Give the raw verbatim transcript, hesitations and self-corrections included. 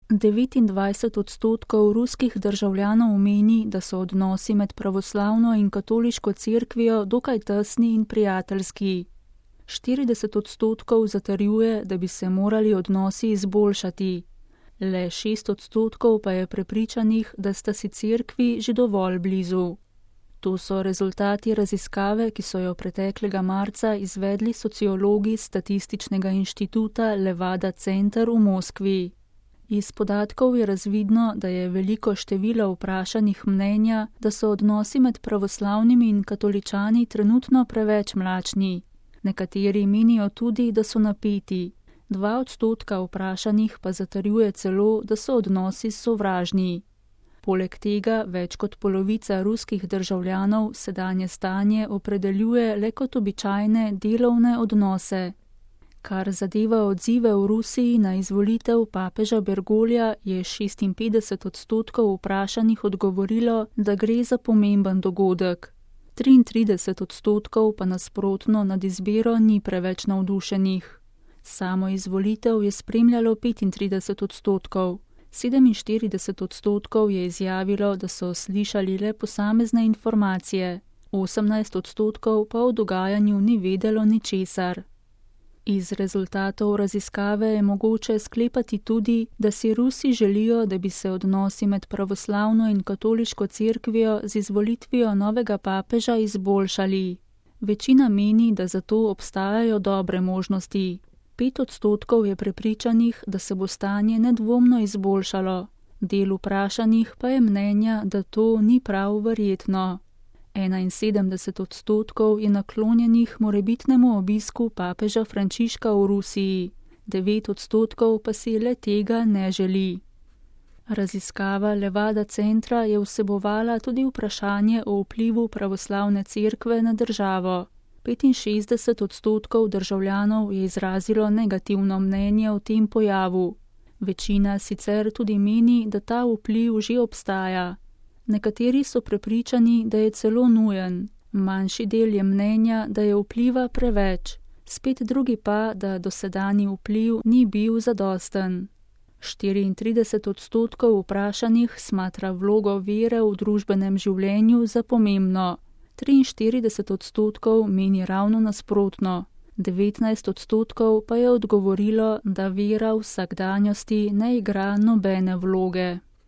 devetindvajset odstotkov ruskih državljanov meni, da so odnosi med pravoslavno in katoliško cerkvijo dokaj tesni in prijateljski. štirideset odstotkov zatrjuje, da bi se morali odnosi izboljšati. Le šest odstotkov pa je prepričanih, da sta si cerkvi že dovolj blizu. To so rezultati raziskave, ki so jo preteklega marca izvedli sociologi Statističnega inštituta Levada Center v Moskvi. Iz podatkov je razvidno, da je veliko število vprašanih mnenja, da so odnosi med pravoslavnimi in katoličani trenutno preveč mlačni. Nekateri menijo tudi, da so napeti. Dva odstotka vprašanih pa zatrjuje celo, da so odnosi sovražni. Poleg tega več kot polovica ruskih državljanov sedanje stanje opredeljuje le kot običajne delovne odnose. Kar zadeva odzive v Rusiji na izvolitev papeža Bergolja, je šestinpetdeset odstotkov vprašanih odgovorilo, da gre za pomemben dogodek. triintrideset odstotkov pa nasprotno nad izbiro ni preveč navdušenih. Samo izvolitev je spremljalo petintrideset odstotkov. sedeminštirideset odstotkov je izjavilo, da so slišali le posamezne informacije, osemnajst odstotkov pa o dogajanju ni vedelo ničesar. Iz rezultatov raziskave je mogoče sklepati tudi, da si Rusi želijo, da bi se odnosi med pravoslavno in katoliško cerkvijo z izvolitvijo novega papeža izboljšali. Večina meni, da za to obstajajo dobre možnosti. Pet odstotkov je prepričanih, da se bo stanje nedvomno izboljšalo. Del vprašanih pa je mnenja, da to ni prav verjetno. enainsedemdeset odstotkov je naklonjenih morebitnemu obisku papeža Frančiška v Rusiji, devet odstotkov pa si le tega ne želi. Raziskava Levada Centra je vsebovala tudi vprašanje o vplivu pravoslavne cerkve na državo. petinšestdeset odstotkov državljanov je izrazilo negativno mnenje o tem pojavu. Večina sicer tudi meni, da ta vpliv že obstaja. Nekateri so prepričani, da je celo nujen. Manjši del je mnenja, da je vpliva preveč. Spet drugi pa, da dosedanji vpliv ni bil zadosten. štiriintrideset odstotkov vprašanih smatra vlogo vere v družbenem življenju za pomembno. triinštirideset odstotkov meni ravno nasprotno. devetnajst odstotkov pa je odgovorilo, da vera v vsakdanjosti ne igra nobene vloge.